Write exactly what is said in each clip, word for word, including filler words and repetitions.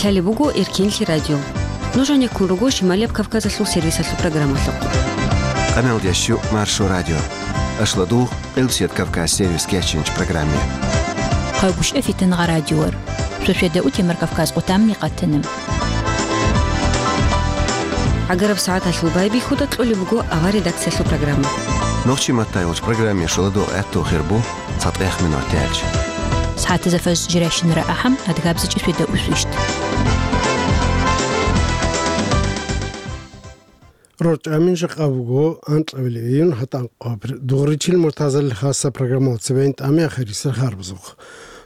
Лъалеб буго Эркинлъи радио. Нуж гьанеккун руго Шималияб Кавказалъул сервисалъул программалъухъ. Къамел дящу Маршо радио. Ашладугъ, Къилбсият Кавказ сервис кечинч программе. Хъайгущ эфитан гъа радиор. Шошведа утемар Кавказ къутамни къатана. Агараб сагӀаталъул байбихьуда кьолеб буго авар редакциялъул программа. Нохчи маттай вуч программе шуладугъ гӀатту хирбу. ЦатӀех минут тяч. СагӀатаза фаз жирайщинара ахӀам, адгабзичӀи сведа усвищт. РорчӀамин жакъа буго анкьабилеб июнь гьатӀан къабир. Дугъричил муртазалил хасса программал цебейин тӀами ахирисел харбузухъ.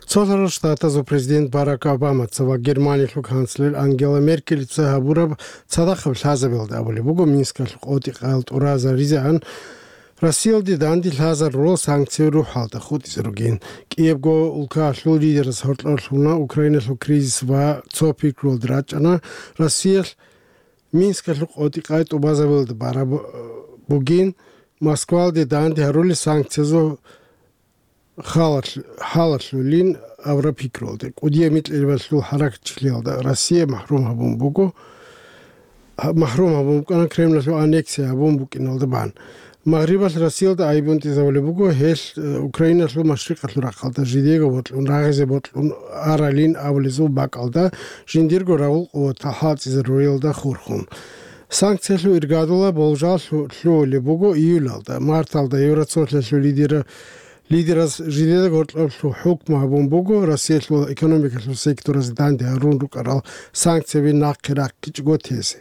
Цолъарал Штатазул президент Барак Обамаца ва Германиялъул канцлер Ангела Меркелица гьабураб цадахъаб лъазабиялда абулеб буго Минскалъул къотӀи-къал тӀуразаризегӀан Россиялде данде лъазарурал санкциял рухӀалда хутӀизе ругин. КӀиябго улкаялъул лидераз гьоркьорлъуна Украиналъул кризис ва цо пикруялда рачӀана Россиялъ Минскалъул къотӀи-къай тӀубазабиялда бараб бугин, Москвалде данде гьарулел санкциязул халалъ-, халалъулин авра пикруялда. КӀудияб микьилбалъул хӀаракатчилиялда Россия махӀрум гьабун буго, гьа-, махӀрум гьабун букӀана Кремлалъул аннексия гьабун букӀиналда бан. Магърибалъ Россиялда айбунтӀизабулеб буго, гьелъ, э, Украиналъул машрикъалъул рахъалда жидеего бокьун, рагъизе бокьун аралин абулезул бакӀалда жиндирго рагъул къуватал хӀалцӀизаруриялда хурхун. Санкциялъул иргадула болжал лъу-, лъугьулеб буго июлалда, марталда Евроцолъиялъул лидера-, лидераз жидеда гьоркьоблъул хӀукму гьабун буго Россиялъул экономикалъул секторазе данде гьарун рукӀарал санкцияби нахъе рахъичӀого тезе,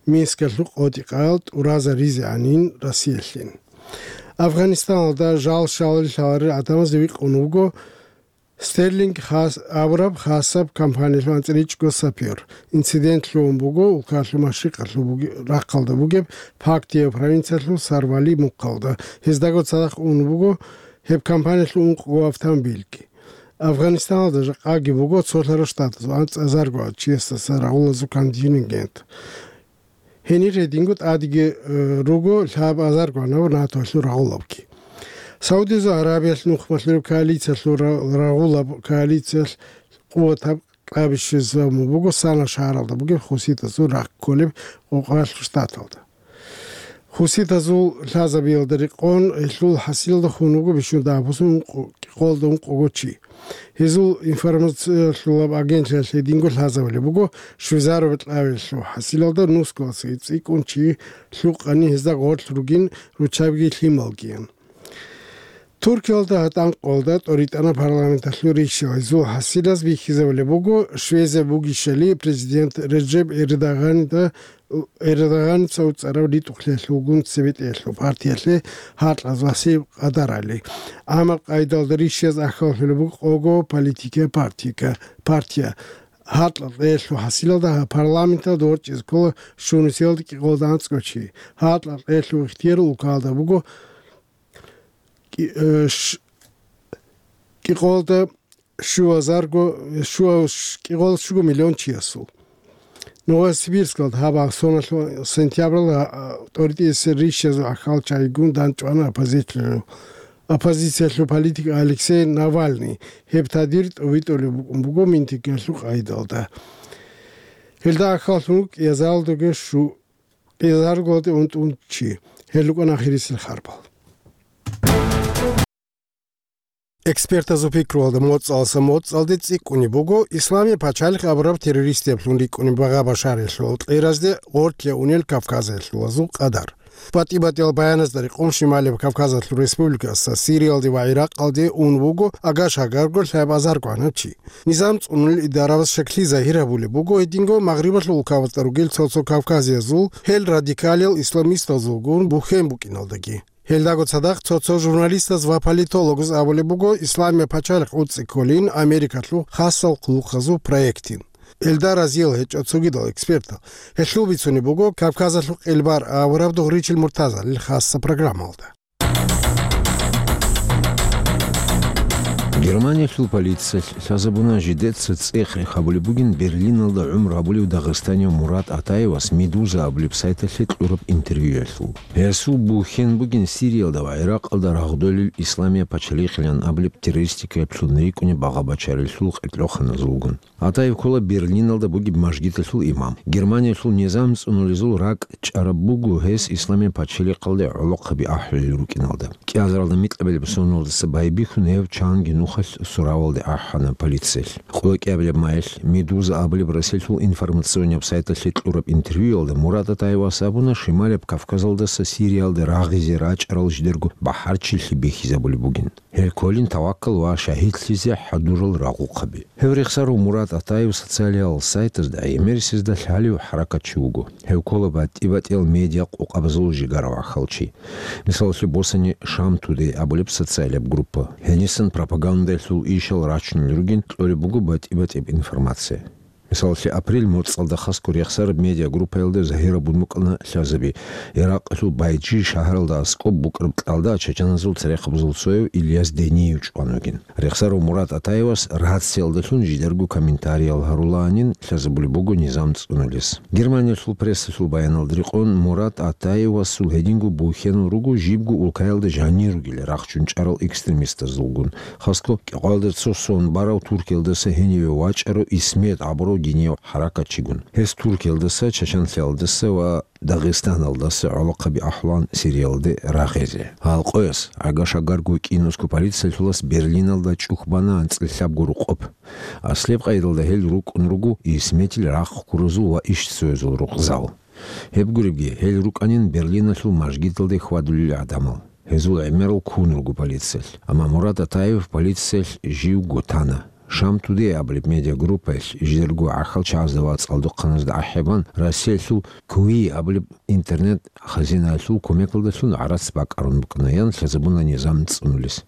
Минскалъул къотӀи-къал тӀуразаризегӀанин Россиялъин. Афганистаналда жал-шалил лъаларел гӀадамазда викъун вуго Стерлинг хас-, абураб хасаб компаниялъул анцӀричӀго сапёр. Инцидент лъугьун буго улкалъул машрикъалъул буги-, рахъалда бугеб Пактия провинциялъул Сарвали мухъалда. Гьездаго цадахъ ун буго гьеб компаниялъул ункъго автомобильги. Афганистаналда жакъаги буго цолъарал штатазул анцӀазарго чиясдаса рагъулазул контингент. Гьенир гьединго тӀадеги, э, руго лъабазарго гьанав НАТОялъул рагъулабги. Саудиязул Аравиялъ нухмалъураб коалициялъул ра-, рагъулаб коалициялъ къуватаб кьабищизабун буго Сана шагьаралда бугеб хуситазул рахъ кколеб Къокъоялъул штаталда. Хуситазул лъазабиялда рекъон гьелъул хӀасилалда хун вуго бищун дагьаб бусун ункъо-, кӀикъоялда ункъого чи. Гьезул информациялъулаб агентлъиялъ гьединго лъазабулеб буго, швезаро бетӀлавелъул хӀасилалда нусгоялдаса цӀикӀкӀун чи лъукъани гьезда гъорлъ ругин руччабиги лъималгиян. Туркиялда гьатӀан къолда тӀоритӀана парламенталъул ришшал. Гьезул хӀасилаз бихьизабулеб буго, швезе бугищали президент Реджеп Эрдоганида Эрдоганица уцӀарав ритӀухълъиялъулгун цебетӀеялъул партиялъе гьаркьаз васиб къадарали. Амма къайдалда ришшияз ахьаллъулеб буго къого политикия партика-, партия. Гьаркьа кьеялъул хӀасилалда гьаб парламенталда ворчӀизе ккола щунусиялда кӀикъоялда анцӀго чи. Гьаркьа кьеялъул ихтияр улкалда буго кӀи-, э, ш-, кӀикъоялда щуазарго, щуа-, ш-, кӀикъоялда щуго миллион чиясул. Новосибирскалда гьаб соналъул сентябралда, а, тӀоритӀисел ришшазул ахьал чагӀигун дандчӀвана оппозициялъул, оппозициялъул политик Алексей Навальный. Гьеб тадир тӀовитӀулеб букӀун буго митингиялъул къайдалда. Гьелда ахьаллъун кӀиазаралдаги шу-, кӀиазаралде унтӀун чи. Гьел рукӀана ахирисел харбал. Экспертазул пикруялда моцӀалдаса моцӀалде цӀикӀкӀунеб буго Исламияб пачалихъ абураб террористияблъун рикӀкӀунеб Багъа Башариялъул кьеразде гъорлъе унел Кавказалъулазул къадар. БатӀи-батӀиял баяназда рекъон Шималияб Кавказалъул республикаялдаса Сириялде ва ГӀиракъалде ун вуго агаш-агарго лъабазарго гӀанав чи. Низам цӀунулел идараваз шаклъи загьир гьабулеб буго гьединго Магърибалъул улкабазда ругел цо-цо кавказиязул, гьел радикалиял исламистазулгун бухьен букӀиналдаги. Гьелдаго цадахъ цо-цо журналистаз ва политологаз абулеб буго, Исламияб пачалихъ уцӀцӀи кколин Америкалъул хасал хъулухъазул проектин. Гьелда разиял гьечӀо цогидал экспертал. Гьелъул бицунеб буго Кавказалъул къелбар авараб Дугъричил Муртазалил хасса программалда. Германиялъул полициялъ лъазабуна жидеца цӀех-рех гьабулеб бугин Берлиналда гӀумру гьабулев дагъистанияв Мурат Атаевас Медуза абулеб сайталъе кьураб интервьюялъул. Гьесул бухьен бугин Сириялда ва ГӀиракъалда рагъдолел Исламия пачалихъилан абулеб террористикаялъул рикӀкӀунеб багъа-бачаралъул къеркьоханазулгун. Атаев ккола Берлиналда бугеб мажгиталъул имам. Германиялъул низам цӀунулезул ракӀ чӀараб буго гьес Исламия пачалихъалде гӀолохъаби ахӀулел рукӀиналда. КӀиазаралда микьабилеб соналдаса байбихьун гьев чанги нухалъ суравалде ахӀана полициялъ. Къоло кӀиабилеб майилъ Медуза абулеб Россиялъул информационнияб сайталъе кьураб интервьюялда Мурат Атаевас абуна Шималияб Кавказалдаса Сириялде рагъизе рачӀарал жидерго бахӀарчилъи бихьизабулеб бугин. Гьел кколин таваккал ва шагьидлъизе хӀадурал рагъухъаби. Гьев рехсарав Мурат Атаев социалиял сайтазда гӀемерисезда лъалев хӀаракатчи вуго. Гьев ккола батӀи-батӀиял медиа къокъабазул жигара вахалчи. Мисалалъе босани Шам Тудей абулеб социалияб группа. Гьенисан пропагандалъул ишал рачунел ругин кьолеб буго батӀи-батӀияб информация. Мисалалъе, апрель моцӀалда хасго рехсараб медиагруппаялда загьирабун букӀана лъазаби, Иракъалъул Байджи шагьаралда аскӀоб букӀараб кьалда чачаназул церехъабазул цояв Ильяс Дениев чӀван вугин. Рехсарав Мурат Атаевас рациялдалъун жидерго комментариял гьарулаанин лъазабулеб буго низам цӀунулес. Германиялъул прессалъул баяналда рекъон, Мурат Атаевасул гьединго бухьенал руго жибго улкаялда жанир ругел рахчун чӀарал экстремистазулгун, хасго кӀикъоялда цо сон барав Туркиялдаса гьениве вачӀарав Исмет абурав динияв хӀаракатчигун. Гьес Туркиялдаса, Чачанлъиялдаса ва Дагъистаналдаса гӀолохъаби ахӀулаан Сириялде рагъизе. Гьал къояс, гӀага-шагарго кӀинусго полициялъулас Берлиналда чӀухь бана анцӀила лъабго рукъоб. Аслияб къайдалда гьел рукӀун руго Исметил рахъ ккуразул ва ишцоязул рукъзал. Гьеб гуребги, гьел рукӀанин Берлиналъул мажгиталде хьвадулел гӀадамал. Гьезул гӀемерал ккун руго полициялъ. Амма Мурат Атаев полициялъ живго тана. Шам Тудей абулеб медиагруппаялъ жидерго гӀахьалчагӀазда ва цӀалдохъаназда ахӀи бан, Россиялъул Куи абулеб интернет-хазинаялъул кумекалдалъун гӀарац бакӀарун букӀана, ян лъазабуна низам цӀунулес.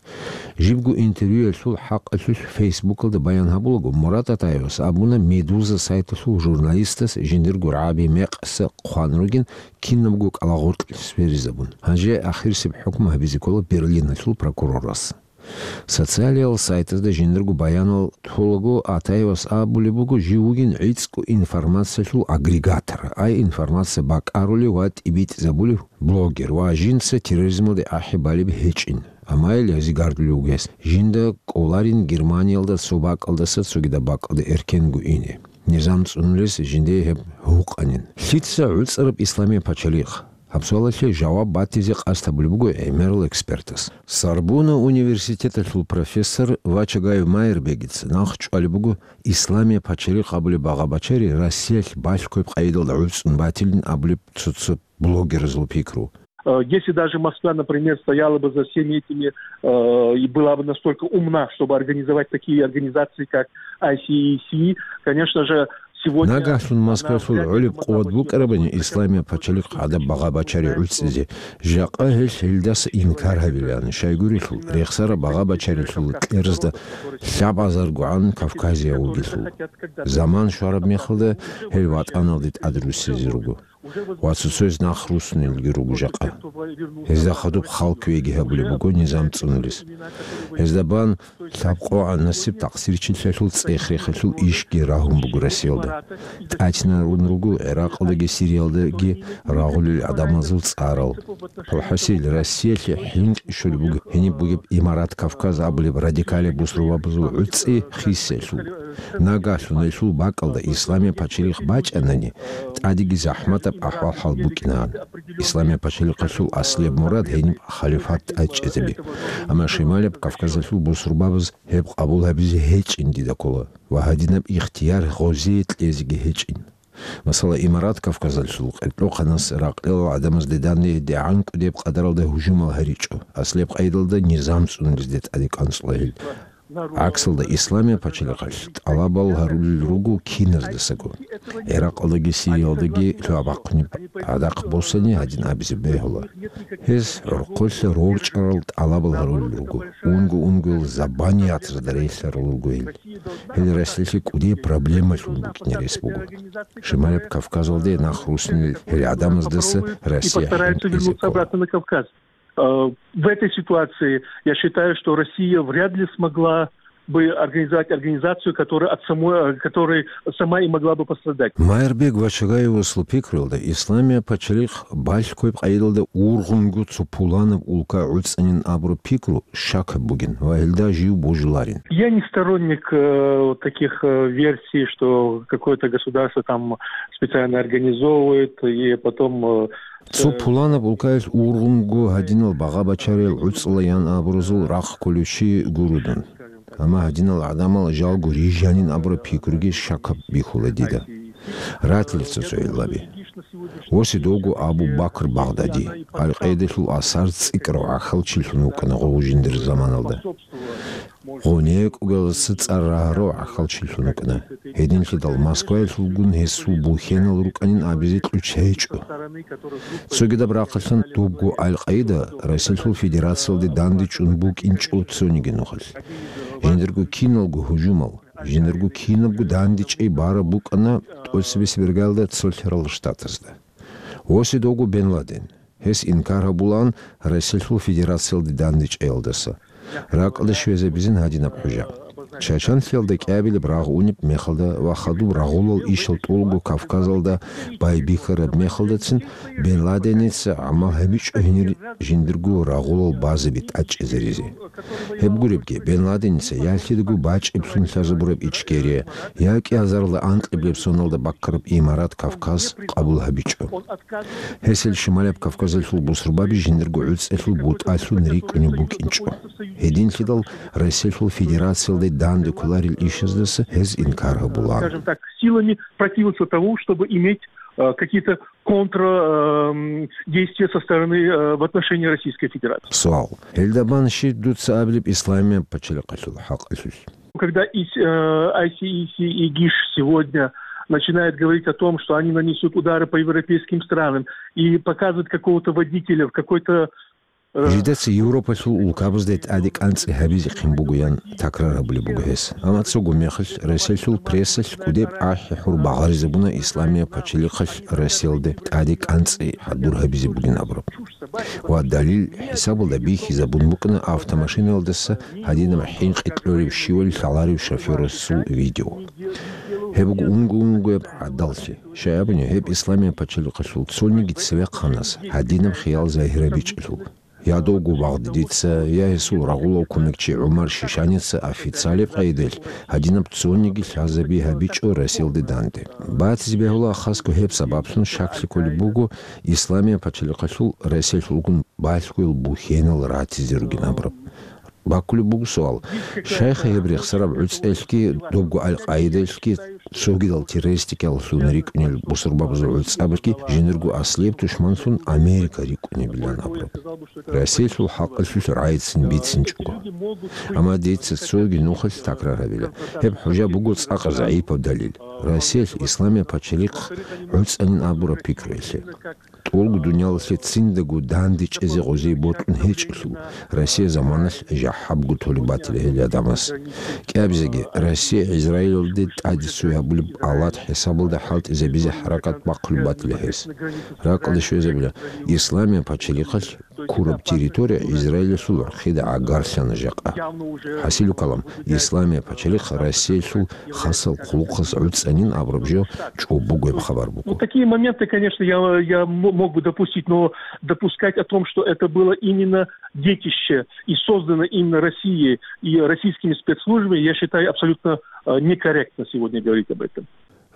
Жибго интервьюялъул хӀакъалъулъ Фейсбукалда баян гьабулаго, Мурат Атаевас абуна Медуза сайталъул журналистас жиндирго рагӀаби мекъса хъван ругин, кинабго кӀалагъоркьлъи сверизабун. Гьанже ахирисеб хӀукму гьабизе ккола Берлиналъул прокурорас. Социалиял сайтазда жиндирго баянал толаго Атаевас абулеб буго, жив вугин гӀицӀго информациялъул агрегатор, ай информация бакӀарулев ва тӀибитӀизабулев блогер ва жинца терроризмалде ахӀи балеб гьечӀин. Амма ил гьезигардулев вугес, жинда кӀоларин Германиялда цо бакӀалдаса цогидаб бакӀалда эркенго ине. Низам цӀунулес жиндие гьеб гьукъанин. Лъица гӀуцӀараб Исламия пачалихъ? Гьаб суалалъе жаваб батизе къасд гьабулеб буго гӀемерал экспертас. Сорбонна университеталъул профессор Вачагаев Майербегица нахъ чӀвалеб буго Исламия пачалихъ абулеб багъа-бачари Россиялъ балъгояб къайдалда гӀуцӀун батилин абулеб цо-цо блогерзул пикру. Э, если даже Москва, например, стояла бы за всеми этими, э, и была бы настолько умна, чтобы организовать такие организации, как I C E C, конечно же, сегодня Нагагьлъун Москвалъул гӀолеб къуват букӀарабани Исламия пачалихъ гӀадаб багъа-бачари гӀуцӀизе, жакъа гьелъ гьелдаса инкар гьабилаан, щайгурелъул рехсараб багъа-бачарилъул кьерзда лъабазаргогӀан Кавказияв вугелъул. Заман щвараб мехалда гьел ватӀаналде тӀадруссизе руго. Ва цо-цояз нахъ руссунелги руго жакъа. Гьезда хадуб хал кквеги гьабулеб буго низам цӀунулес. Гьезда бан лъабкъогӀан насиб-такъсирчилъиялъул цӀех-рехалъул ишги рагьун буго Россиялда. ТӀатинарун руго ГӀиракъалдаги Сириялдаги рагъулел гӀадамазул цӀарал. ХӀасил, Россиялъе хӀинкъи щолеб буго гьениб бугеб Имарат Кавказ абулеб радикалияб бусурбабазул гӀуцӀи хисиялъул. Нагагьлъун гьелъул бакӀалда Исламия пачалихъ бачӀанани, тӀадеги захӀматаб ахӀвал-хӀал букӀинаан. Исламия пачалихъалъул аслияб мурад гьениб халифат тӀадчӀезаби. Амма Шималияб Кавказалъул бусурбабаз гьеб къабул гьабизе гьечӀин дида ккола ва гьадинаб ихтияр гъозие кьезеги гьечӀин. Масала, Имарат Кавказалъул къеркьохъанас ракьалил гӀадамазде данде дигӀан кӀудияб къадаралда гьужумал гьаричӀо, аслияб къайдалда низам цӀунулезде тӀаде кӀанцӀула гьел. ГӀаксалда, Исламия пачалихъалъ тӀалабал гьарулел руго киназдасаго. ГӀиракъалдаги Сириялдаги лъугьа-бахъунеб гӀадахъ босани гьадин абизе бегьула. Гьез гӀурхъулъа рорчӀарал тӀалабал гьарулел руго, унго-унгоял забаниятазда релълъарал руго гьел. Гьел Россиялъе кӀудияб проблемалъун букӀине рес буго. Шималияб Кавказалде нахъ руссунел гьел гӀадамаздаса Россия хӀинкъизе ккола. Э, в этой ситуации я считаю, что Россия вряд ли смогла бы организовать организацию, которая от самой, э, которая сама и могла бы пострадать. Майрбек Вачагаевасул пикруялда, Исламияб пачалихъ балъ кквеб къайдалда ургъунго цо пуланаб улка гӀуцӀанин абураб пикру щакаб бугин ва гьелда жив божуларин. Я не сторонник, э, вот таких, э, версий, что какое-то государство там специально организовывает и потом, э, Цо пуланаб улкаялъ ургъунго гьадинал багъа-бачариял гӀуцӀла ян абуразул рахъ кколев чи гуро дун. Амма гьадинал гӀадамал жалго рижанин абураб пикруги щакаб бихьула дида. Ратила цо-цо гӀиллаби. Восидовго Абу Бакр Багъдади, Аль-Къаидалъул асар цӀикӀкӀарав гӀахьалчилъун вукӀана гъов жиндир заманалда. Гъов некӀугалдаса цӀар рагьарав гӀахьалчилъун вукӀана. Гьединлъидал Москваялъулгун гьесул бухьенал рукӀанин абизе кьучӀ гьечӀо. Цогидаб рахъалъан дубго Аль-Къаида Россиялъул Федерациялде дандечӀун букӀинчӀо цониги нухалъ. Жиндирго киналго гьужумал, жиндирго кинабго дандечӀей бараб букӀана тӀоцебесеб иргаялда цолъарал штатазда. Восидовго Бен Ладен. Гьес инкар гьабулаан Россиялъул Федерациялде дандечӀеялдаса. РакӀалде щвезабизин гьадинаб хӀужа. Чачанлъиялда кӀиабилеб рагъ унеб мехалда ва хадуб рагъулал ишал тӀолго Кавказалда байбихьараб мехалдацин Бен Ладеница гӀамал гьабичӀо гьенир жиндирго рагъулал базаби тӀадчӀезаризе. Гьеб гуребги, Бен Ладеница ялъидаго бачӀиблъун лъазабураб Ичкерия, я кӀиазарла анкьиблеб соналда баккараб имарат Кавказ къабул гьабичӀо. Гьесил Шималияб Кавказалъул бусурбаби жиндирго гӀуцӀелъул бутӀалъун рикӀкӀунеб букӀинчӀо. Гьединлъидал Россиялъул Федерациялде данде кколарел ишаздаса гьез инкар гьабулаан. Скажем так, силами противиться тому, чтобы иметь, э, какие-то контр, эм, действия со стороны, э, в отношении Российской Федерации. Суал. Гьелда бан щиб дуца абилеб Исламияб пачалихъалъул хӀакъалъулъ? Когда ИС, э, ай си ай си и ГИШ сегодня начинает говорить о том, что они нанесут удары по европейским странам и показывают какого-то водителя в какой-то, э, Жидеца Европалъул улкабазда тӀаде кӀанцӀи гьабизехъин бугоян такрар гьабулеб буго гьес. Амма цого мехалъ Россиялъул прессалъ кӀудеб ахӀи-хӀур багъаризабуна Исламияб пачалихъалъ Россиялде тӀаде кӀанцӀи хӀадур гьабизе бугин абураб. Ва далил хӀисабалда бихьизабун букӀана автомашинаялдаса гьадинаб хӀинкъи кьолеб щивали лъаларев шофёрасул видео. Гьеб буго унго-унгояб гӀадаллъи. Щай абуни, гьеб Исламияб пачалихъалъул цониги цевехъанас гьадинаб хиял загьирабичӀелъул. Я довго Багъдадица, я гьесул рагъулав кумекчи ГӀумар Шишаница официалеб къайдалъ гьадинаб цониги лъазаби гьабичӀо Россиялде данде. Батизе бегьула хасго гьеб сабаблъун щаклъи кколеб буго Исламияб пачалихъалъул Россиялъулгун балъгоял бухьенал ратизе ругин абураб. Баккулеб буго суал. Щайха гьеб рехсараб гӀуцӀелъги, добго Аль-Къаидалъги, цогидал террористикаллъун рикӀкӀунел бусурбабазул гӀуцӀабилъги жиндирго аслияб тушманлъун Америка рикӀкӀунебилан абураб? Россиялъул хӀакъалъулъ рагӀицин бицинчӀого. Амма дица цоги нухалъ такрар гьабила. Гьеб хӀужа буго цӀакъ загӀипаб далил. Россиялъ Исламияб пачалихъ гӀуцӀанин абураб пикруялъе. ТӀолго дуниялалъе циндаго дандечӀезе гъозие бокьун гьечӀелъул, Россия заманалъ жахӀабго толеб батила гьел гӀадамас. КӀиабизеги, Россия Израилалде тӀаде цой гьабулеб алат хӀисабалда хӀалтӀизабизе хӀаракат бахъулеб батила гьес. РакӀалде щвезабила, Исламияб пачалихъалъ ккураб территория Израилалъул гӀурхъида гӀагарлъана жакъа. ХӀасилу калам, Исламияб пачалихъ Россиялъул хасал хъулухъас гӀуцӀанин абураб жо чӀоб бугеб хабар буго. Ну, такие моменты, конечно, я, я м-, мог бы допустить, но допускать о том, что это было именно детище и создано именно Россией и российскими спецслужбами, я считаю абсолютно, э, некорректно сегодня говорить об этом.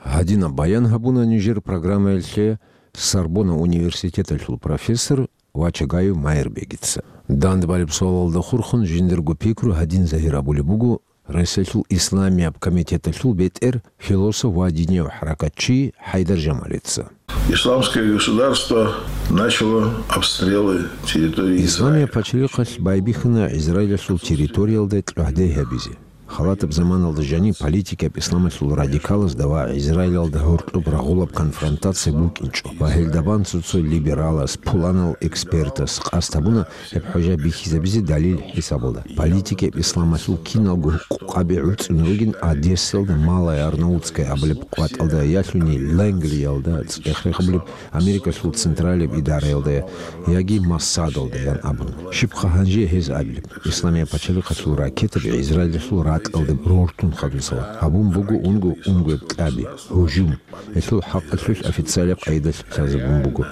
Гьадинаб баян гьабуна нижер программаялъе Сорбонна университеталъул профессор Вачагаев Майрбегица. Дандбалеб суалалда хурхун жиндирго пикру гьадин загьир абулеб буго Россиялъул Исламияб комитеталъул бетӀер, философ ва динияв хӀаракатчи ХӀайдар Жамалица. Исламское государство начало обстрелы территории Израиля. Исламияб пачалихъалъ байбихьана Израилалъул территориялда кьогьдай гьабизе. Халатаб заманалда жаниб политикаб исламалъул радикалазда ва Израилалда гьоркьоб рагъулаб конфронтация букӀинчӀо ва гьелда бан цо-цо либералас, пуланал экспертас къасд гьабуна гьеб хӀужа бихьизабизе далил хӀисабалда. Политикаб исламалъул киналго гьукъукъаби гӀуцӀун ругин Одессалда Малая Арнаутская абулеб къватӀалда, ялъуни Лангриялда, цӀех-рех абулеб Америкалъул централияб идараялда яги Моссадалда ян абун. Щибха гьанже гьез абилеб? Исламияб пачалихъалъул ракетаби Израилалъул кӀалдиб рортун хадусала гьабун буго унго-унгояб кьаби, гьужум. Гьелъул хӀакъалъулъ официалаб къайдалъ лъазабун буго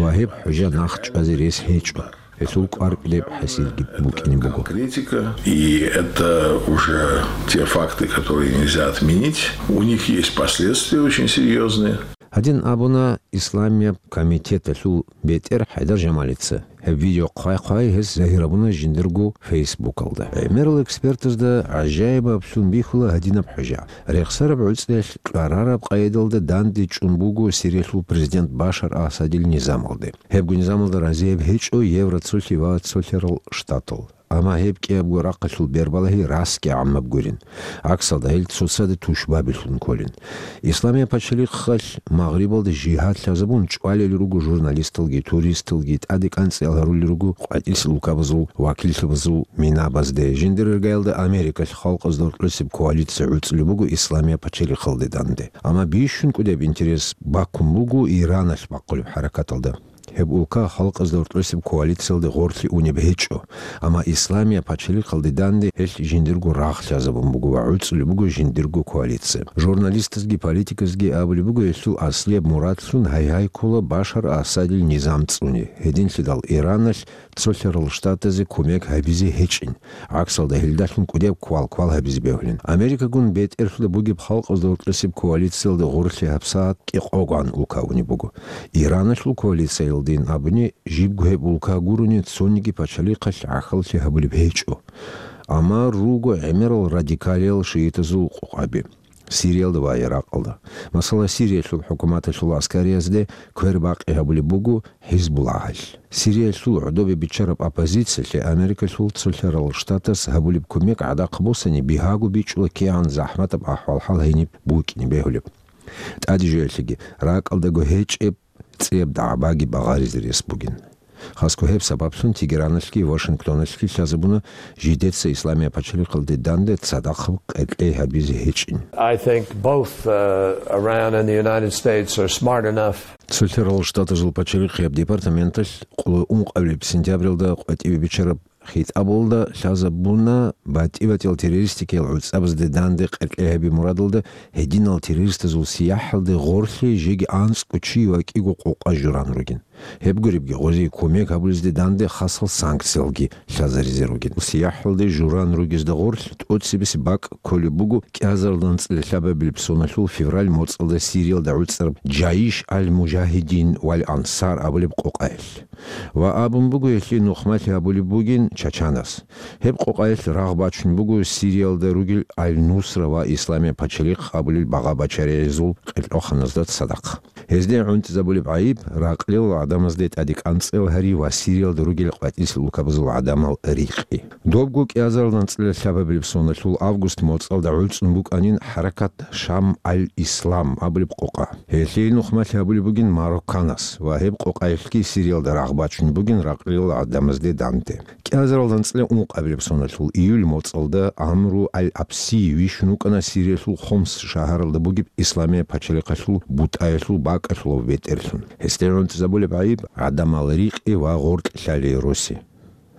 ва гьеб хӀужа нахъ чӀвазе рес гьечӀо. Гьелъул кӀвар кьеб хӀасилги букӀине буго. Конкретика, и это уже те факты, которые нельзя отменить. У них есть последствия очень серьёзные. Гьадин абуна Исламияб комитеталъул бетӀер ХӀайдар Жамалица. Гьеб видео хъвай-хъвай гьес загьир гьабуна жиндирго Фейсбукалда. ГӀемерал экспертазда гӀажаибаблъун бихьула гьадинаб хӀужа. Рехсараб гӀуцӀиялъ кьарараб къайдалда данде чӀун буго Сириялъул президент Башар Асадил низамалде. Гьебго низамалда разияб гьечӀо Евроцолъи ва Цолъарал Штатал. Амма гьеб кӀиябго рахъалъул бербалагьи расги гӀаммаб гурин. ГӀаксалда гьел цоцазда тушбабилъун кколин. Исламияб пачалихъалъ Магърибалда жигьад лъазабун чӀвалел руго журналисталги, туристалги, тӀаде кӀанцӀиял гьарулел руго къватӀилъ улкабазул вакиллъабазул минабазде. Жиндир иргаялда Америкалъ халкъазда гьоркьосеб коалиция гӀуцӀулеб буго Исламияб пачалихъалде данде. Амма бищун кӀудеб интерес баккун буго Ираналъ бахъулеб хӀаракаталда. Гьеб улка халкъазда гьоркьосеб коалициялде гъорлъе унеб гьечӀо, амма Исламияб пачалихъалде данде гьелъ жиндирго рагъ лъазабун буго ва гӀуцӀулеб буго жиндирго коалиция. Журналистазги политиказги абулеб буго гьелъул аслияб мурадлъун гьай-гьай ккола Башар Асадил низам цӀуне, гьединлъидал Ираналъ Цолъарал Штатазе кумек гьабизе гьечӀин, гӀаксалда гьелдалъун кӀудияб квал-квал гьабизе бегьулин. Америкагун бетӀерлъуда бугеб халкъазда гьоркьосеб коалициялда гъорлъе гьабсагӀат кӀикъогогӀан улка унеб буго. Ираналъул коалициялдин абуни, жибго гьеб улка гурони цониги пачалихъалъ гӀахьаллъи гьабулеб гьечӀо. Амма руго гӀемерал радикалиял шиитазул къокъаби Сириялда ва Иракъалда. Масала, Сириялъул хӀукуматалъул аскариязде квербакъи гьабулеб буго ХӀизбуллагьалъ. Сириялъул гӀодобе биччараб оппозициялъе Америкалъул Цолъарал Штатас гьабулеб кумек гӀадахъ босани, бигьаго бичӀчӀула кигӀан захӀматаб ахӀвал-хӀал гьениб букӀине бегьулеб. ТӀаде жоялъеги, ракӀалдаго гьечӀеб цӀияб дагӀбаги багъаризе рес бугин. Хасго гьеб сабаблъун Тегераналъги Вашингтоналъги лъазабуна жидеца Исламияб пачалихъалде данде цадахъ къеркьей гьабизе гьечӀин. I think both, uh, Iran and the United States are smart enough. Цолъарал Штатазул пачалихъияб департаменталъ къоло ункъабилеб сентябралда къватӀибе биччараб хитӀабалда лъазабуна батӀи-батӀиял террористикиял гӀуцӀабазде данде къеркьей гьаби мурадалда гьединал террористазул сияхӀалде гъорлъе жеги анцӀго чи ва кӀиго къокъа журан ругин. Гьеб гуребги, гъозие кумек гьабулезде данде хасал санкциялги лъазаризе ругин. СияхӀалде журан ругезда гъорлъ тӀоцебесеб бакӀ кколеб буго кӀиазарилан цӀилалъабабилеб соналъул февраль моцӀалда Сириялда гӀуцӀараб Джаиш аль-Мужагьидин валь Ансар абулеб къокъаялъ. Ва абун буго гьелъие нухмалъи гьабулеб бугин Чачанас. Гьеб къокъаялъ рагъ бачун буго Сириялда ругел Аль-Нусра ва Исламияб пачалихъ абулел багъа-бачаригӀезул къеркьоханазда цадахъ. Гьезде гӀунтӀизабулеб гӀайиб ракълил гӀадамазде тӀаде кӀанцӀел гьари ва Сириялда ругел къватӀилъ улкабазул гӀадамал рикъи. Добго кӀиазарилан цӀилалъабабилеб соналъул август моцӀалда гӀуцӀун букӀанин хӀаракат Шам аль-Ислам абулеб къокъа. Гьелъие нухмалъи гьабулеб бугин Марокканас ва гьеб къокъаялъги Сириялда рагъ бачун бугин ракълил гӀадамазде данде. КӀиазарилан цӀиле ункъабилеб соналъул июль моцӀалда Амру аль-Абси вищун вукӀана Сириялъул Хомс шагьаралда бугеб Исламияб пачалихъалъул бутӀаялъул бакӀалъулав бетӀерлъун. Гьесде гӀунтӀизабулеб гӀайиб гӀадамал рикъи ва гъоркь лъалей роси.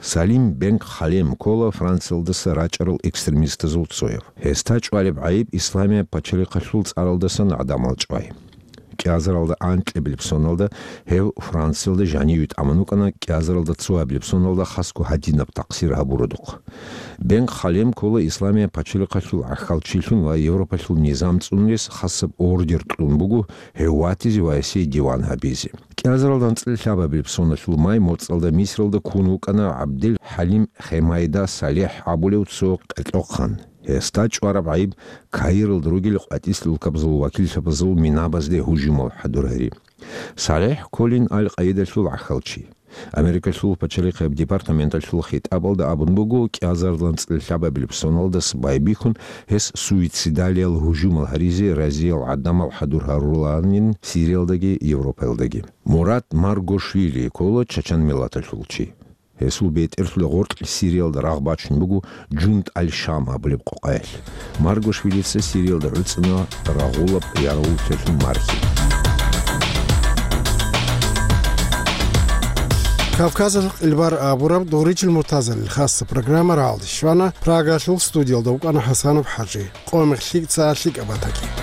Салим бен Халем ккола Франциялдаса рачӀарал экстремистазул цояв. Гьесда чӀвалеб гӀайиб Исламияб пачалихъалъул цӀаралдасан гӀадамал чӀвай. КӀиазаралда анкьабилеб соналда гьев Франциялда жаниве тӀамун вукӀана, кӀиазаралда цоабилеб соналда хасго гьадинаб такъсир гьабуродухъ. Бен Халем ккола Исламияб пачалихъалъул гӀахьалчилъун ва Европалъул низам цӀунулес хасаб ордер кьун буго гьев ватизе ва гьесие диван гьабизе. КӀиазарилан цӀилалъабабилеб соналъул май моцӀалда Мисралда ккун вукӀана ГӀабдел ХӀалим Хемайда Салехь абулев цо къеркьохъан. Гьесда чӀвараб гӀайиб Каиралда ругел къватӀилъ улкабазул вакиллъабазул минабазде гьужумал хӀадур гьари. Салехь кколин Аль-Къаидалъул гӀахьалчи. Америкалъул пачалихъияб департаменталъул хитӀабалда абун буго, кӀиазарилан цӀилалъабабилеб соналдаса байбихьун, гьес суицидалиял гьужумал гьаризе разиял гӀадамал хӀадур гьарулаанин Сириялдаги Европаялдаги. Мурат Маргошвили ккола чачан миллаталъул чи. Гьесул бетӀерлъуда гъоркь Сириялда рагъ бачун буго Джунд аль-Шам абулеб къокъаялъ. Маргошвилица Сириялда гӀуцӀана рагъулаб ярагъуллъиялъул мархи. Кавказалъ къилбар абураб Дугъричил Муртазалил хасса программа рагӀалде щвана, Прагалъул студиялда вукӀана ХӀасанов ХӀажи. Къо-мех лъикӀ, цӀа лъикӀаб батаги.